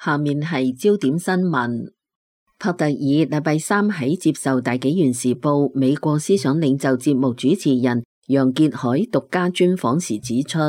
下面係焦點新聞。帕特爾禮拜三喺接受大紀元時報美國思想領袖節目主持人楊潔篪獨家專訪時指出，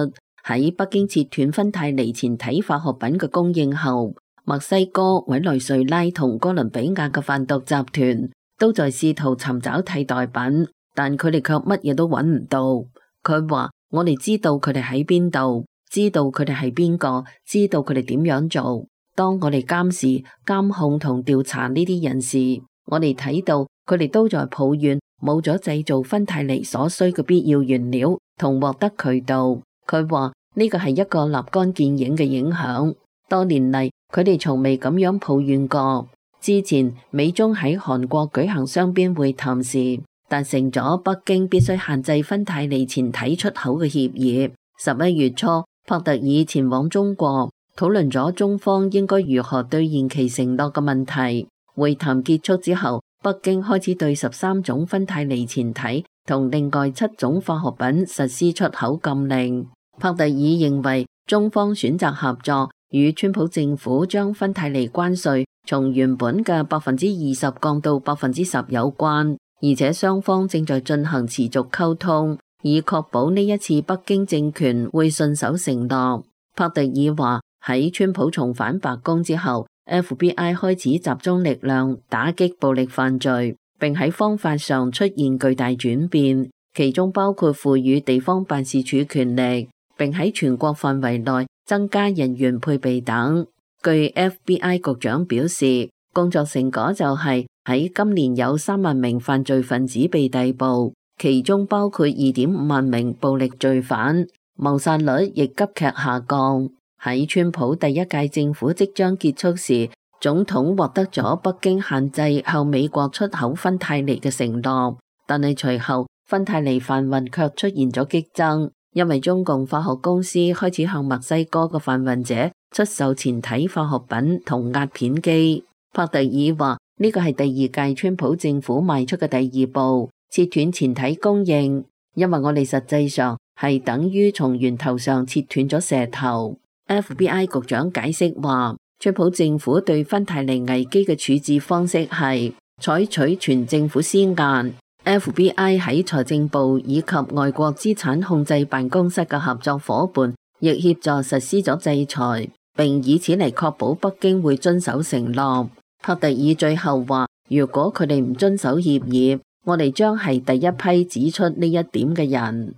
喺北京切斷芬太尼前體化學品嘅供應後，墨西哥、委內瑞拉同哥倫比亞嘅販毒集團都在試圖尋找替代品，但佢哋卻乜嘢都揾唔到。佢話：我哋知道佢哋喺邊度，知道佢哋係邊個，知道佢哋點樣做。當我哋監視、監控同調查呢啲人時，我哋睇到佢哋都在抱怨冇咗製造芬太尼所需嘅必要原料同獲得渠道。佢話呢個係一個立竿見影嘅影響。多年嚟，佢哋從未咁樣抱怨過。之前美中喺韓國舉行雙邊會談時，達成咗北京必須限制芬太尼前體出口嘅協議。11月初，帕特爾前往中國，討論咗中方應該如何兌現其承諾嘅問題。會談結束之後，北京開始對13種芬太尼前體同另外7種化學品實施出口禁令。帕特爾認為中方選擇合作，與川普政府將芬太尼關稅從原本嘅20%降到10%有關，而且雙方正在進行持續溝通，以確保呢一次北京政權會信守承諾。帕特爾話：喺川普重返白宮之後， FBI 開始集中力量打擊暴力犯罪，並喺方法上出現巨大轉變，其中包括賦予地方辦事處權力，並喺全國範圍內增加人員配備等。據 FBI 局長表示，工作成果就係喺今年有3萬名犯罪分子被逮捕，其中包括2.5萬名暴力罪犯，謀殺率亦急劇下降。喺川普第一屆政府即將結束時，總統獲得咗北京限制向美國出口芬太尼嘅承諾，但係隨後芬太尼販運卻出現咗激增，因為中共化學公司開始向墨西哥嘅販運者出售前體化學品同壓片機。帕特爾話：呢個係第二屆川普政府邁出嘅第二步，切斷前體供應，因為我哋實際上係等於從源頭上切斷咗蛇頭。FBI 局長解釋話，川普政府對芬太尼危機嘅處置方式係採取全政府施壓。FBI 喺財政部以及外國資產控制辦公室嘅合作夥伴亦協助實施咗制裁，並以此嚟確保北京會遵守承諾。帕特爾最後話，如果佢哋唔遵守協議，我哋將係第一批指出呢一點嘅人。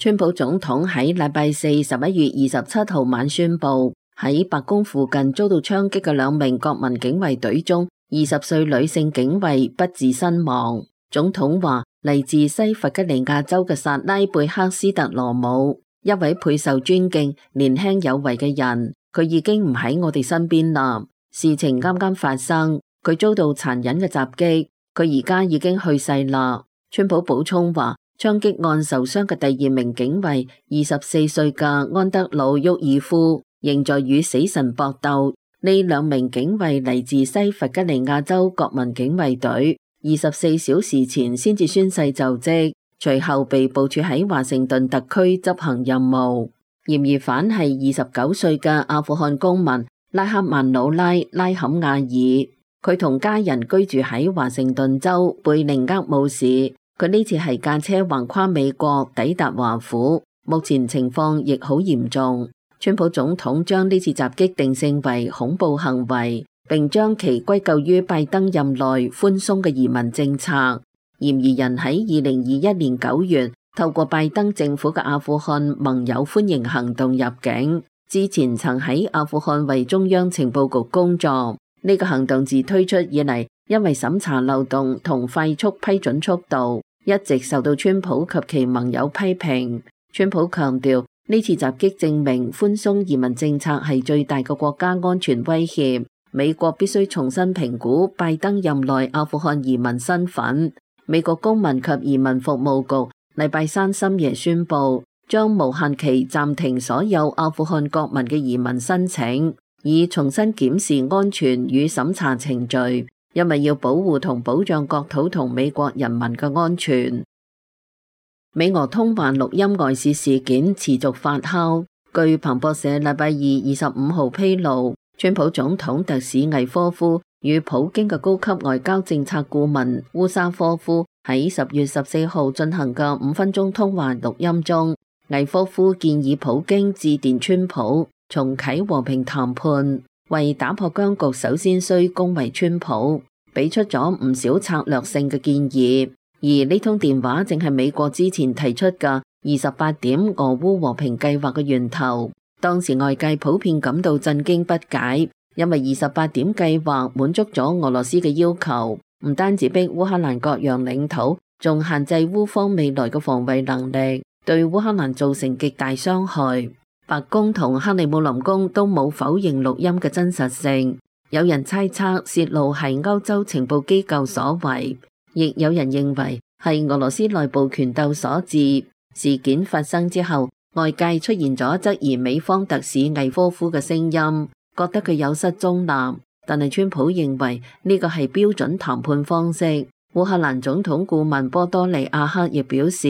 川普總統喺禮拜四11月27號晚宣布，喺白宮附近遭到槍擊嘅2名國民警衛隊中，20歲女性警衛不治身亡。總統話，嚟自西弗吉尼亞州嘅薩拉貝克斯特羅姆，一位配受尊敬、年輕有為嘅人，佢已經唔喺我哋身邊啦。事情啱啱發生，佢遭到殘忍嘅襲擊，佢而家已經去世啦。川普補充話，槍擊案受傷嘅第2名警衛24歲嘅安德魯沃爾夫仍在與死神搏鬥。呢2名警衛嚟自西弗吉尼亞州國民警衛隊，24小時前先至宣誓就職，隨後被部署喺華盛頓特區執行任務。嫌疑犯係29歲嘅阿富汗公民拉克曼努拉·拉坎亞爾，佢同家人居住喺華盛頓州貝寧厄姆市。佢呢次係駕車橫跨美國抵達華府，目前情況亦好嚴重。川普總統將呢次襲擊定性為恐怖行為，並將其歸咎於拜登任內寬鬆嘅移民政策。嫌疑人喺2021年9月透過拜登政府嘅阿富汗盟友歡迎行動入境，之前曾喺阿富汗為中央情報局工作。呢個行動自推出以嚟，因為審查漏洞同快速批准速度，一直受到川普及其盟友批評。川普強調，呢次襲擊證明寬鬆移民政策係最大嘅國家安全威脅，美國必須重新評估拜登任內阿富汗移民身份。美國公民及移民服務局禮拜三深夜宣布，將無限期暫停所有阿富汗國民嘅移民申請，以重新檢視安全與審查程序，因為要保護同保障國土同美國人民嘅安全。美俄通話錄音外泄事件持續發酵，據彭博社禮拜二25號披露，川普總統特使魏科夫與普京嘅高級外交政策顧問烏沙科夫喺10月14號進行嘅5分鐘通話錄音中，魏科夫建議普京致電川普，重啟和平談判，為打破僵局首先需恭維川普，俾出咗唔少策略性嘅建議。而呢通電話正係美國之前提出嘅28點俄烏和平計劃嘅源頭。當時外界普遍感到震驚不解，因為28點計劃滿足咗俄羅斯嘅要求，唔單止逼烏克蘭各樣領土，仲限制烏方未來嘅防衛能力，對烏克蘭造成極大傷害。白宮同克里姆林宮都冇否認錄音嘅真實性，有人猜測泄露係歐洲情報機構所為，亦有人認為係俄羅斯內部權鬥所致。事件發生之後，外界出現咗質疑美方特使魏科夫嘅聲音，覺得佢有失中立。但係川普認為呢個係標準談判方式。烏克蘭總統顧問波多利亞克亦表示，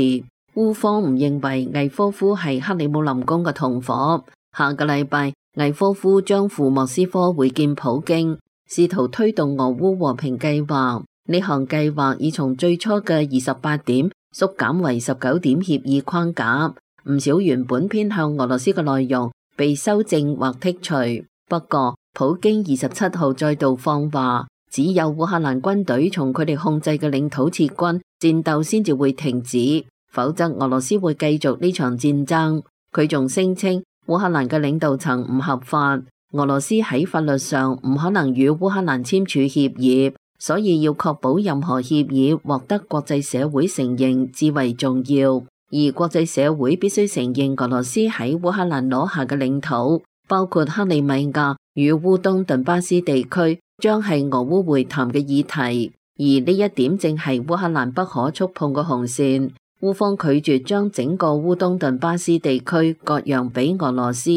烏方唔認為魏科夫係克里姆林宮嘅同夥。下個禮拜，魏科夫將赴莫斯科會見普京，試圖推動俄烏和平計劃。呢項計劃已從最初嘅28點縮減為19點協議框架。唔少原本偏向俄羅斯嘅內容被修正或剔除。不過，普京27號再度放話，只有烏克蘭軍隊從佢哋控制嘅領土撤軍，戰鬥先至會停止，否則俄羅斯會繼續呢場戰爭。佢仲聲稱烏克蘭嘅領導層唔合法，俄羅斯喺法律上唔可能與烏克蘭簽署協議，所以要確保任何協議獲得國際社會承認至為重要。而國際社會必須承認俄羅斯喺烏克蘭攞下嘅領土，包括克里米亞與烏東頓巴斯地區，將係俄烏會談嘅議題。而呢一點正係烏克蘭不可觸碰嘅紅線。烏方拒絕將整個烏東頓巴斯地區割讓俾俄羅斯，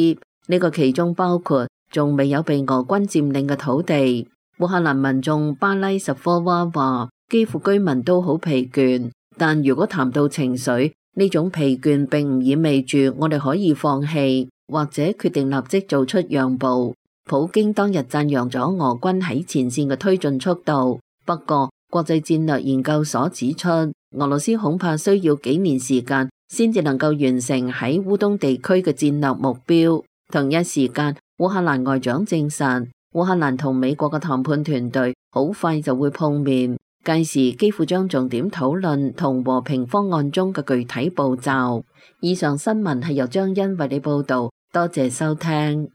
呢個其中包括仲未有被俄軍佔領嘅土地。烏克蘭民眾巴拉什科娃話，基輔居民都好疲倦，但如果談到情緒，呢種疲倦並唔意味住我哋可以放棄，或者決定立即做出讓步。普京當日讚揚咗俄軍喺前線嘅推進速度，不過國際戰略研究所指出，俄羅斯恐怕需要幾年時間先至能夠完成喺烏東地區嘅戰略目標。同一時間，烏克蘭外長證實，烏克蘭同美國嘅談判團隊好快就會碰面。屆時幾乎將重點討論同和平方案中嘅具體步驟。以上新聞係由張欣為你報道，多謝收聽。